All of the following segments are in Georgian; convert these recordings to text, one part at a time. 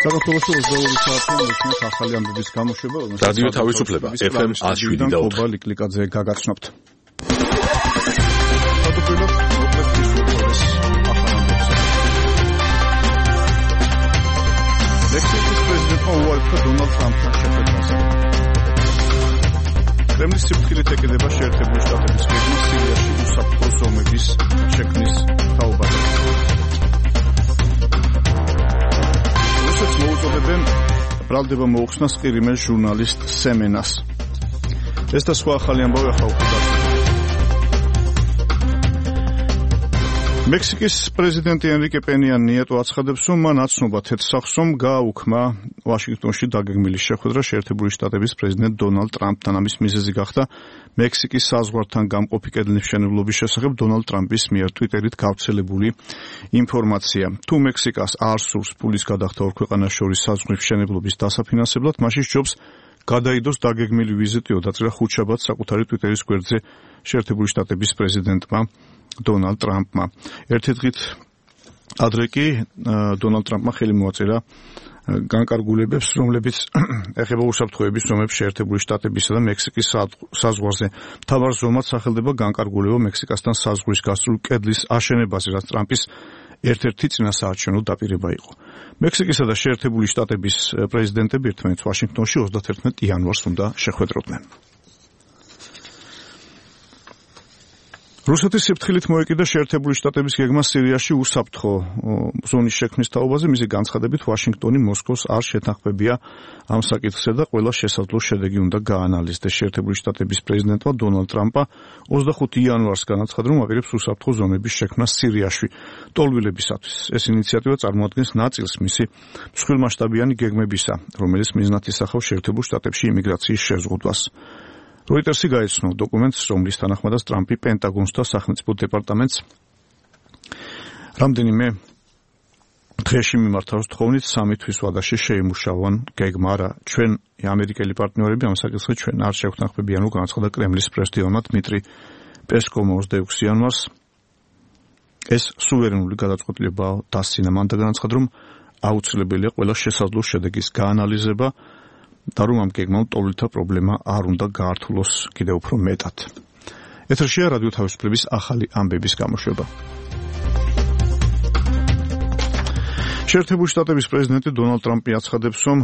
საქართველოში 22 საათი მოსმენთ ახალი ამბების გამოშვება, რადიო თავისუფლება FM 107 და 4 ლიკლიკვაძე გაგაცნობთ. მექსიკის პრეზიდენტმა უარი დონალდ ტრამპთან შეხვედრაზე. კრემლის სიფრთხილით ეკიდება შეერთებული შტატების გეგმა სირიაში უსაფრთხო ზომების შექმნის თაობაზე. რუსეთს მოუწოდებენ ბრალდება მოუხსნას ყირიმელ ჟურნალისტ სემენას. ეს და სხვა ახალი ამბავი ახლა უკვე დაწესდა. მექსიკის პრეზიდენტი ენრიკე პენია ნიეტო აცხადებს, რომ მან აცნობა თეთრ სახლს გააუქმა ვაშინგტონში დაგეგმილი შეხვედრა შეერთებული შტატების პრეზიდენტ დონალდ ტრამპთან. ამის მიზეზი გახდა მექსიკის საზღვართან გამყოფი კედლის მშენებლობის შესახებ დონალდ ტრამპის მიერ ტვიტერით გავრცელებული ინფორმაცია. თუ მექსიკას არ სურს ფულის გადახდა ორ ქვეყანას შორის საზღვრის მშენებლობის დასაფინანსებლად, მაშინ სჯობს გადაიდოს დაგეგმილი ვიზიტი ოდაწერა ხუთშაბათს საკუთარი ტვიტერის გვერდზე შეერთებული შტატების პრეზიდენტმა დონალდ ტრამპმა. ერთი დღით ადრე კი დონალდ ტრამპმა ხელი მოაწერა განკარგულებებს, რომლებიც ეხება უსაფრთხოების ზომებს შეერთებული შტატებისა და მექსიკის საზღვარზე. მთავარ ზომად სახელდება განკარგულება მექსიკასთან საზღვრის გასწვრივ კედლის აშენებაზე, რაც ტრამპის ერთ-ერთი წინასაარჩევნო დაპირება იყო. მექსიკისა და შეერთებული შტატების პრეზიდენტები ერთმანეთს ვაშინგტონში 31 იანვარს უნდა შეხვედროდნენ. რუსეთის სიფრთხილით მოეკიდა შეერთებული შტატების გეგმა სირიაში უსაფრთხო ზონის შექმნის თაობაზე. მისი განცხადებით ვაშინგტონი მოსკოვს არ შეთანხმებია ამ საკითხზე და ყველა შესაძლო შედეგი უნდა გაანალიზდეს. შეერთებული შტატების პრეზიდენტმა დონალდ ტრამპა 25 იანვარს განაცხადა, რომ აპირებს უსაფრთხო ზონების შექმნას სირიაში ტოლვილებისათვის. ეს ინიციატივა წარმოადგენს ნაწილს მისი მსხვილმასშტაბიანი გეგმებისა, რომელიც მიზნად ისახავს შეერთებულ შტატებში იმიგრაციის შეზღუდვას. როიტერსი გაეცნო დოკუმენტს, რომლის თანახმადაც ტრამპი პენტაგონს და სახელმწიფო დეპარტამენტს რამდენიმე დღეში მიმართავს თხოვნით 3 თვის ვადაში შეიმუშავონ გეგმა. არა, ჩვენ ამერიკელი პარტნიორები ამ საკითხზე ჩვენ არ შევთანხმებიან, რომ განაცხადა კრემლის პრესდიორმა დმიტრი პესკოვმა 26 იანვარს. ეს სუვერენული გადაწყვეტილებაა დასცინა. მან და განაცხადა, რომ აუცილებელია ყველა შესაძლო შედეგის გაანალიზება და რომ ამ გეგმამ ტოლვილთა პრობლემა არ უნდა გაართულოს კიდევ უფრო მეტად. ეთერშია რადიო თავისუფლების ახალი ამბების გამოშვება. შეერთებული შტატების პრეზიდენტი დონალდ ტრამპი აცხადებს, რომ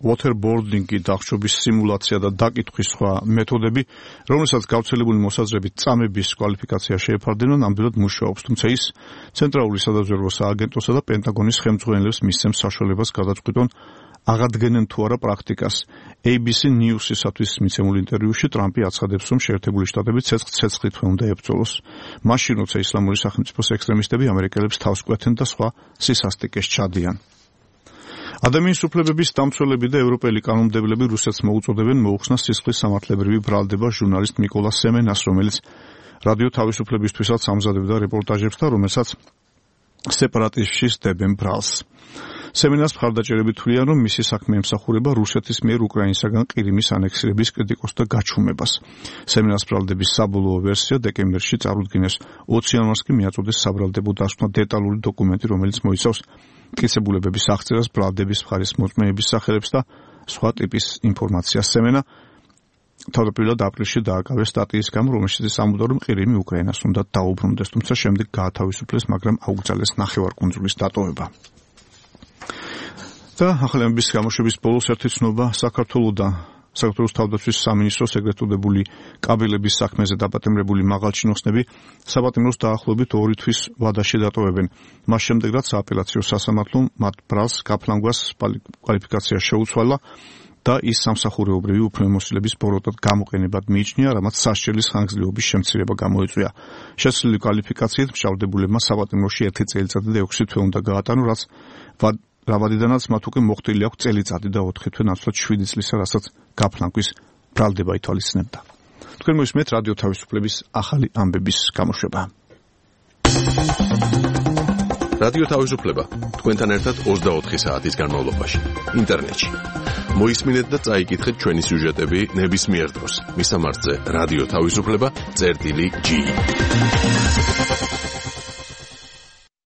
waterboarding-ი დახშობის სიმულაცია და დაკითხვის სხვა მეთოდები, რომელსაც გავრცელებული მოსაზრებით წამების კვალიფიკაცია შეეფარდება, ნამდვილად მუშაობს, თუმცა ის ცენტრალური სადაზვერვო სააგენტოსა და პენტაგონის ხელმძღვანელებს მისცემს საშუალებას გადაწყვიტონ აღადგენენ თუ არა პრაქტიკას. ABC News-ისათვის მიცემულ ინტერვიუში ტრამპი აცხადებს, რომ შეერთებული შტატები ცეცხლით უნდა ებრძოლოს. მაშინ, როცა ისლამური სახელმწიფოს ექსტრემისტები ამერიკელებს თავს კვეთენ და სხვა სისასტიკეს ჩადიან. ადამიანის უფლებების დამცველები და ევროპელი კანონმდებლები რუსეთს მოუწოდებენ მოუხსნას სისხლის სამართლებრივი ბრალდება ჟურნალისტ მიკოლა სემენას, რომელიც რადიო თავისუფლებისთვისაც ამზადებდა რეპორტაჟებს და რომელსაც სეპარატისტში სდებენ ბრალს. სემენას მხარდაჭერები თვლიან, რომ მისი საქმე ემსახურება რუსეთის მიერ უკრაინისაგან ყირიმის ანექსირების კრიტიკოსს და გაჩუმებას. სემენას ბრალდების საბოლოო ვერსია დეკემბერში წარუდგინეს. 20 იანვარს კი მიაწოდეს საბრალდებო დასკვნა დეტალური დოკუმენტი, რომელიც მოიცავს მტკიცებულებების აღწერას, ბრალდების მხარის მოწმეების სახელებს და სხვა ტიპის ინფორმაციას. სემენა თავდაპირველად აპრილში დააკავეს სტატიის გამო, რომელშიც ამბობდა, რომ ყირიმი უკრაინას უნდა დაუბრუნდეს, თუმცა შემდეგ გაათავისუფლეს, მაგრამ აუკრძალეს ნახევარკუნძულის დატოვება. და ახალი ამბების გამოშვების ბოლოს ერთი ცნობა საქართველოს თავდაცვის სამინისტროს ეგრეთწოდებული კაბელების საქმეზე დაპატიმრებული მაღალჩინოსნები საპატიმროს დაახლოებით 2 თვის ვადაში დატოვებენ. მას შემდეგ, რაც სააპელაციო სასამართლომ მათ ბრალს გაფლანგვას კვალიფიკაცია შეუცვალა და ის სამსახურეობრივი უფლებამოსილების ბოროტად გამოყენებად მიიჩნია, რამაც სასჯელის ხანგრძლივობის შემცირება გამოიწვია. შეცვლილი კვალიფიკაციით მშავდებულებმა საპატიმროში 1 წელიწადი და 6 თვე უნდა გაატანონ, რაც რავადიდანაც მათ უკვე მოხდილი აქვს წელიწადი და 4 თვე ნაცვლად 7 წლისა, რასაც გაფლანგვის ბრალდება ითვალისწინებდა. თქვენ მოისმენთ რადიო თავისუფლების ახალი ამბების გამოშვება. რადიო თავისუფლება თქვენთან ერთად 24 საათის განმავლობაში ინტერნეტში. მოისმინეთ და წაიკითხეთ ჩვენი სიუჟეტები ნებისმიერ დროს. მისამართზე რადიო თავისუფლება.gi